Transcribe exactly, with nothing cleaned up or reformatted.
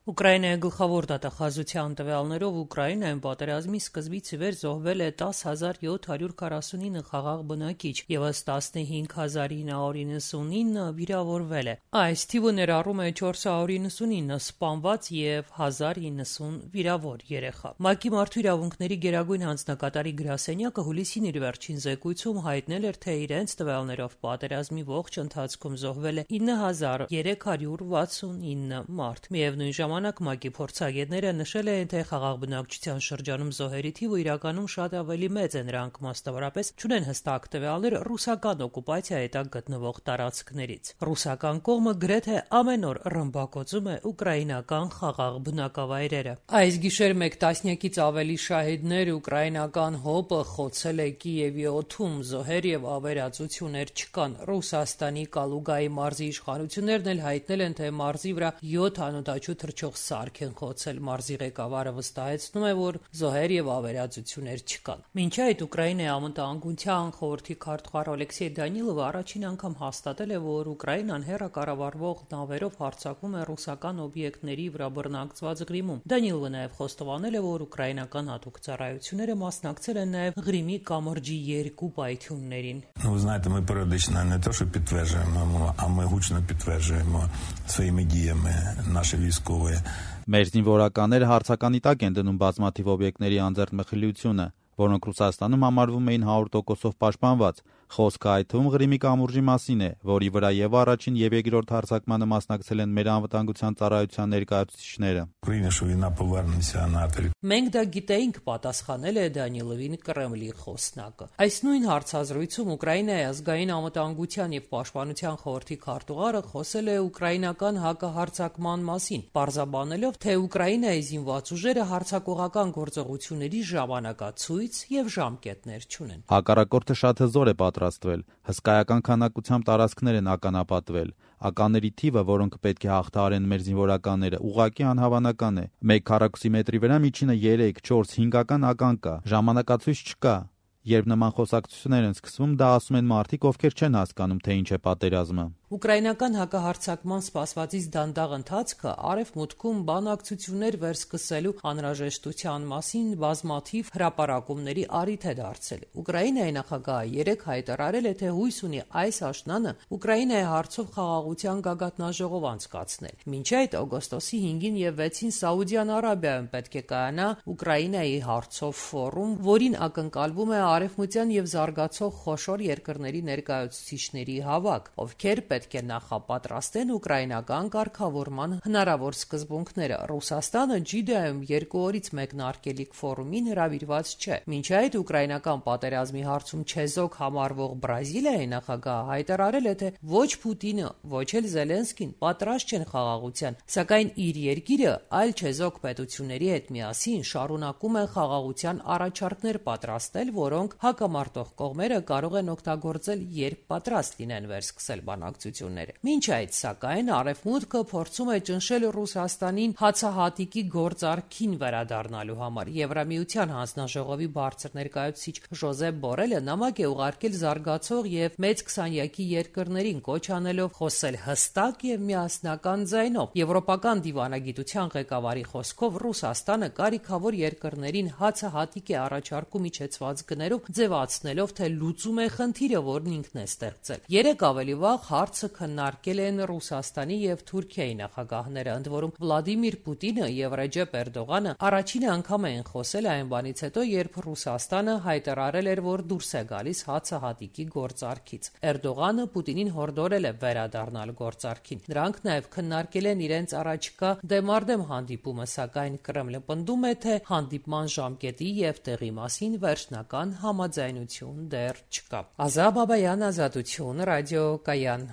Ուկրաինայի գլխավոր դատախազության տվյալներով Ուկրաինայում պատերազմի սկզբից ի վեր զոհվել է տասը հազար յոթ հարյուր քառասունինը խաղաղ բնակիչ, ևս տասնհինգ հազար ինը հարյուր իննսունինը վիրավորվել է։ Այս թիվը ներառում է չորս հարյուր իննսունինը սպանված և հազար իննսուն վիրավոր երեխա։ ՄԱԿ-ի Մարդու իրավունքների գերագույն հանձնակատարի գրասենյակը հուլիսին իր վերջին զեկույցում հայտնել էր, թե իրենց տվյալներով պատերազմի ողջ ընթացքում զոհվել է ինը հազար երեք հարյուր վաթսունինը մարդ։ Միևնույն ժամանակ ՄԱԿ-ի փորձագետները նշել են, թե խաղաղ բնակչության շրջանում զոհերի թիվը իրականում շատ ավելի մեծ է, նրանք մասնավորապես չունեն հստակ տվյալներ ռուսական օկուպացիայի տակ գտնվող տարածքներից։ Ռուսական կողմը գրեթե ամեն օր ռմբակոծում է ուկրաինական խաղաղ բնակավայրերը։ Այս գիշեր մեկ տասնյակից ավելի շահիդներ ուկրաինական ՀՕՊ-ը խոցել է Կիևի օդում, զոհեր և ավերածություններ չկան։ Ռուսաստանի Կալուգայի մարզի իշխանություններն էլ հայտնել են, թե մարզի վրա յոթ անօդաչու թռչող սարք են խոցել։ Մարզի ղեկավարը վստահեցնում է, որ զոհեր և ավերածություններ չկան։ Մինչ այդ Ուկրաինայի անվտանգության խորհրդի քարտուղար Օլեքսեյ Դանիլովը առաջին անգամ հաստատել է, որ Ուկրաինան հեռակառավարվող նավերով հարձակվում է ռուսական օբյեկտների վրա բռնակցված Ղրիմում։ Դանիլովը նաև խոստովանել է, որ ուկրաինական հատուկ ծառայությունները մասնակցել են նաև Ղրիմի կամրջի երկու պայթյուններին։ Ви знаєте, ми періодично не те, що підтверджуємо, а ми гучно підтверджуємо своїми діями наші військові. Մեր զինվորականները հարցականի տակ են դնում բազմաթիվ օբյեկտների անձեռք մխիլությունը, որոնք Ռուսաստանում համարվում էին հարյուր տոկոսով պաշտպանված։ Խոսքը այդ թվում Ղրիմի կամուրջի մասին է, որի վրա եւ առաջին եւ երկրորդ հարձակմանը մասնակցել են մեր անվտանգության ծառայության ներկայացուցիչները։ Մենք դա գիտեինք, պատասխանել է Դանիլովին Կրեմլի խոսնակը։ Այս նույն հարցազրույցում Ուկրաինայի ազգային անվտանգության եւ պաշտպանության խորհրդի քարտուղարը խոսել է ուկրաինական հակահարձակման մասին, պարզաբանելով, թե Ուկրաինայի զինված ուժերը հարձակողական գործողությունների ժամանակացույց եւ ժամկետներ չունեն։ Հակառակորդը շատ հզոր է պատրաստվել, հսկայական քանակությամբ տարածքներ են ականապատվել։ Ականների թիվը, որոնք պետք է հաղթահարեն մեր զինվորականները, ուղղակի անհավանական է։ Մեկ քառակուսի մետրի վրա միջինը երեք, չորս, հինգ ական կա։ Ժամանակացույց չկա։ Երբ նման խոսակցություններ են սկսվում, դա ասում են մարդիկ, ովքեր չեն հասկանում, թե ինչ է պատերազմը։ Ուկրաինական հակահարձակման սպասվածից դանդաղ ընթացքը արևմուտքում բանակցություններ վերսկսելու անհրաժեշտության մասին բազմաթիվ հրապարակումների առիթ է դարձել։ Ուկրաինայի նախագահը երեկ հայտարարել է, թե հույս ունի այս աշնանը Ուկրաինայի հարցով խաղաղության գագաթնաժողով անցկացնել։ Մինչ այդ օգոստոսի հինգին և վեցին Սաուդյան Արաբիայում պետք է կայանա Ուկրաինայի հարցով ֆորում, որին ակնկալվում է արևմտյան և զարգացող խոշոր երկրների ներկայացուցիչների հավաք, ովքեր պետք է նախապատրաստեն ուկրաինական կարգավորման հնարավոր սկզբունքները։ Ռուսաստանը Ջիդայում երկու օրից մեկնարկելիք ֆորումին հրավիրված չէ։ Մինչ այդ ուկրաինական պատերազմի հարցում չեզոք համարվող Բրազիլիայի նախագահը հայտարարել է, թե ոչ Պուտինը, ոչ էլ Զելենսկին պատրաստ չեն խաղաղության, սակայն իր երկիրը այլ չեզոք պետությունների հետ միասին շարունակում է խաղաղության առաջարկներ պատրաստել, որոնք հակամարտող կողմերը կարող են օգտագործել, երբ պատրաստ լինեն վերսկսել բանակցությունները։ Մինչ այդ, սակայն, Արևմուտքը փորձում է ճնշել Ռուսաստանին հացահատիկի գործարքին վերադառնալու համար։ Եվրամիության հանձնաժողովի բարձր ներկայացուցիչ Ժոզեփ Բորելը նամակ է ուղարկել զարգացող եւ մեծ քսանյակի երկրներին, կոչ անելով խոսել հստակ եւ միասնական ձայնով։ Եվրոպական դիվանագիտության ղեկավարի խոսքով Ռուսաստանը կարիքավոր երկրներին հացահատիկ է առաջարկում իջեցված գներով, ձևացնելով, թե լուծում է խնդիրը, որն ինքն է ստեղծել։ Երեք ավելի վաղ հարցը քննարկել են Ռուսաստանի եւ Թուրքիայի նախագահները, ընդ որում Վլադիմիր Պուտինը եւ Ռեջեփ Էրդողանը առաջին անգամ են խոսել այն բանից հետո, երբ Ռուսաստանը հայտարարել էր, որ դուրս է գալիս հացահատիկի գործարքից։ Էրդողանը Պուտինին հորդորել է վերադառնալ գործարքին։ Նրանք նաեւ քննարկել են իրենց առաջիկա դեմարդեմ հանդիպումը, սակայն Կրեմլը պնդում է, թե հանդիպման ժամկետի եւ տեղի մասին վերջնական համաձայնություն դեռ չկա։ Ազա Բաբայան, Ազատություն, Ռադիո Կայան։